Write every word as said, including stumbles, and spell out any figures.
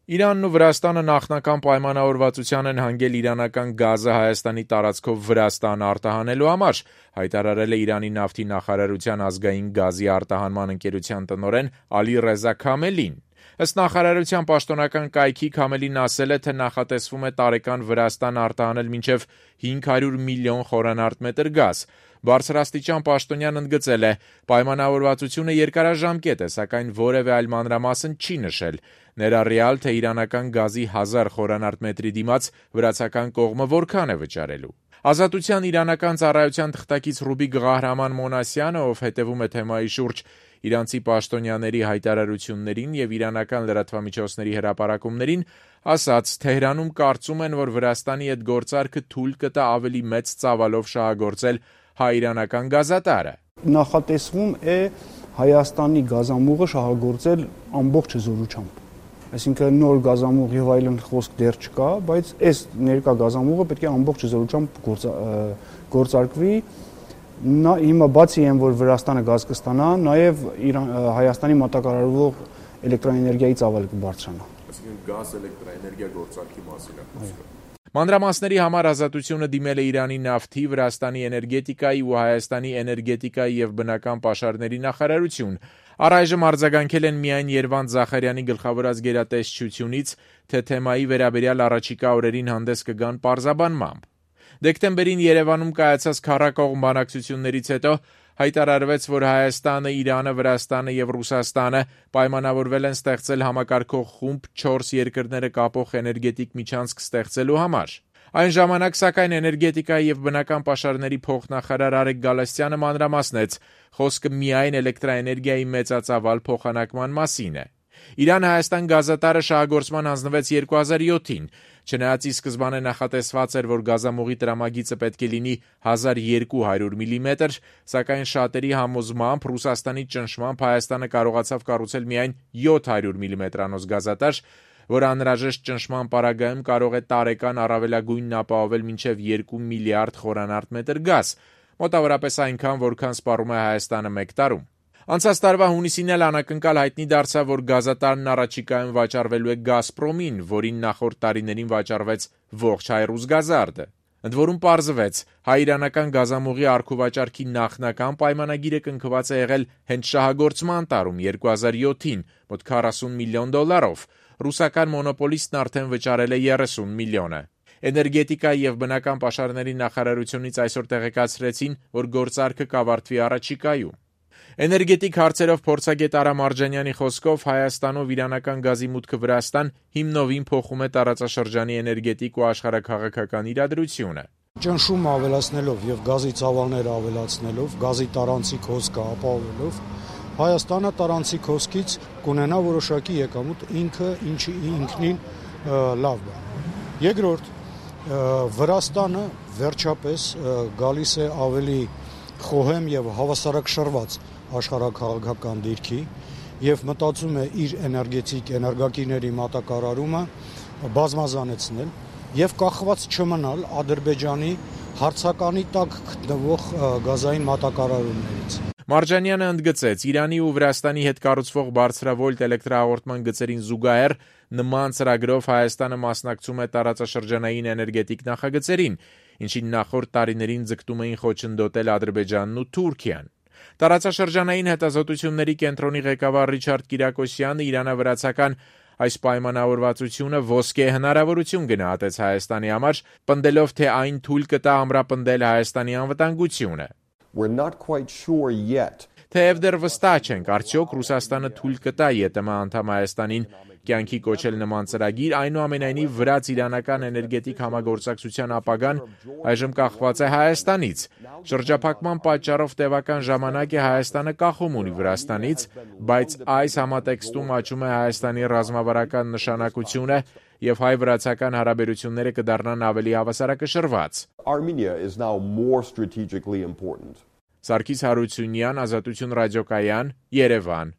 Իրանն ու Վրաստանը նախնական պայմանավորվածության են հանգել իրանական գազը Հայաստանի տարածքով Վրաստան արտահանելու համար, հայտարարել է Իրանի նավթի նախարարության ազգային գազի արտահանման ընկերության տնօրեն Ալի Ռեզա Քամելին։ Ըստ նախարարության պաշտոնական կայքի Քամելին ասել է, թե նախատեսվում է տարեկան Վրաստան արտահանել մինչև հինգ հարյուր միլիոն խորանարդ մետր գազ։ Բարձրաստիճան պաշտոնյան ընդգծել է, պայմանավորվածությունը երկարաժամկետ է, սակայն որևէ այլ մանրամասն չի նշել, ներառյալ, թե իրանական գազի հազար խորանարդ մետրի դիմաց վրացական կողմը որքան է վճարելու։ Ազատության իրանական ծառայության թղթակից Ռուբիկ Ղահրաման Մոնասյանը, ով հետևում է թեմայի շուրջ իրանցի պաշտոնյաների հայտարարություններին եւ իրանական լրատվամիջոցների հրապարակումներին, ասաց, Թեհրանում կարծում են, որ Վրաստանի հետ գործարքը թույլ կտա ավելի մեծ ծավալով շահագործել հայ-իրանական գազատարը։ Նախատեսվում է Հայաստանի գազամուղը շահագործել ամբողջ զորությամբ։ Այսինքն նոր գազամուղ եւ այլն խոսք դեռ չկա, բայց այս ներկա գազամուղը պետք է ամբողջ զորությամբ գործարկվի։ Նա հիմա բացի այն, որ Վրաստանը գազ կստանա, նաեւ Հայաստանի մատակարարվող էլեկտրաէներգիայի ծավալը կբարձրանա։ Այսինքն գազ էլեկտրաէներգիա գործարկի մասին է խոսքը։ Մանրամասների համար Ազատությունը դիմել է Իրանի նավթի, Վրաստանի էներգետիկայի ու Հայաստանի էներգետիկայի եւ բնական պաշարների նախարարություն։ Առայժմ արձագանքել են միայն Երվանդ Զախարյանի գլխավորած գերատեսչությունից, թե թեմայի վերաբերյալ առաջիկա օրերին հանդես կգան պարզաբանմամբ։ Դեկտեմբերին Երևանում կայացած քառակողմ բանակցություններից հետո հայտարարվեց, որ Հայաստանը, Իրանը, Վրաստանը եւ Ռուսաստանը պայմանավորվել են ստեղծել համակարգող խումբ չորս երկրները կապող էներգետիկ միջանցք ստեղծելու համար։ Այն ժամանակ, սակայն, էներգետիկայի եւ բնական պաշարների փոխնախարար Արեգ Գալստյանը մանրամասնեց, խոսքը միայն էլեկտրաէներգիայի մեծածավալ փոխանակման մասին է։ Իրան-Հայաստան գազատարը շահագործման հանձնվեց երկու հազար յոթին, չնայած ի սկզբանե նախատեսված էր, որ գազամուղի տրամագիծը պետք է լինի հազար երկու հարյուր միլիմետր, սակայն շատերի համոզմամբ Ռուսաստանի ճնշմամբ Հայաստանը կարողացավ կառուցել միայն յոթ հարյուր միլիմետրանոց գազատար, որ անհրաժեշտ ճնշման պարագայում կարող է տարեկան առավելագույնն ապահովել մինչև երկու միլիարդ խորանարդ մետր գազ, մոտավորապես այնքան, որքան սպառում է Հայաստանը մեկ տարում։ Անցած տարվա հունիսին էլ անակնկալ հայտնի դարձավ, որ գազատարն առաջիկայում վաճառվելու է Գազպրոմին, որին նախորդ տարիներին վաճառվեց ողջ Հայրուսգազարդը։ Ընդ որում պարզվեց, հայ-իրանական գազամուղի առքուվաճառքի նախնական պայմանագիրը կնքված է եղել հենց շահագործման տարում երկու հազար յոթին, մոտ քառասուն միլիոն դոլարով, ռուսական մոնոպոլիստն արդեն վճարել է երեսուն միլիոնը։ Էներգետիկայի եւ բնական պաշարների նախարարությունից այսօր տեղեկացրեցին, որ գործարքը կավարտվի առաջիկայում։ Էներգետիկ հարցերով փորձագետ Արա Մարջանյանի խոսքով Հայաստանով իրանական գազի մուտքը Վրաստան հիմնովին փոխում է տարածաշրջանի էներգետիկ ու աշխարհաքաղաքական իրադրությունը։ Ճնշում ավելացնելով եւ գազի ծավալները ավելացնելով, գազի տարանցիկ հոսքը ապահովելով, Հայաստանը տարանցիկ հոսքից կունենա որոշակի եկամուտ, ինքը ինչի ինքնին լավ բան։ Երկրորդ, Վրաստանը վերջապես գալիս է ավելի խոհեմ եւ հավասարակշռված աշխարհաքաղաքական դիրքի եւ մտածում է իր էներգետիկ էներգակիրների մատակարարումը բազմազանեցնել եւ կախված չմնալ Ադրբեջանի հարցականի տակ գտնվող գազային մատակարարումներից։ Մարջանյանը ընդգծեց, Իրանի ու Վրաստանի հետ կառուցվող բարձրավոլտ էլեկտրահաղորդման գծերին զուգահեռ նման ծրագրով Հայաստանը մասնակցում է տարածաշրջանային էներգետիկ նախագծերին, ինչին նախորդ տարիներին ձգտում էին խոչընդոտել Ադրբեջանն ու Թուրքիան։ Տարածաշրջանային հետազոտությունների կենտրոնի ղեկավար Ռիչարդ Կիրակոսյանը իրանավրացական այս պայմանավորվածությունը ոսկե հնարավորություն գնահատեց Հայաստանի համար, պնդելով, թե այն թույլ կտա ամրապնդել Հայաստանի անվտանգությունը։ Թեև դեռ վստահ չենք, արդյոք Ռուսաստանը թույլ կտա ԵՏՄ անդամ Հայաստանին կյանքի կոչել նման ծրագիր, այնուամենայնիվ վրաց-իրանական էներգետիկ համագործակցության ապագան այժմ կախված է Հայաստանից։ Շրջափակման պատճառով տևական ժամանակ է Հայաստանը կախում ունի Վրաստանից, բայց այս համատեքստում աճում է Հայաստանի ռազմավարական նշանակությունը եւ հայ-վրացական հարաբերությունները կդառնան ավելի հավասարակշռված։ Սարգիս Հարությունյան, Ազատություն ռադիոկայան, Երևան։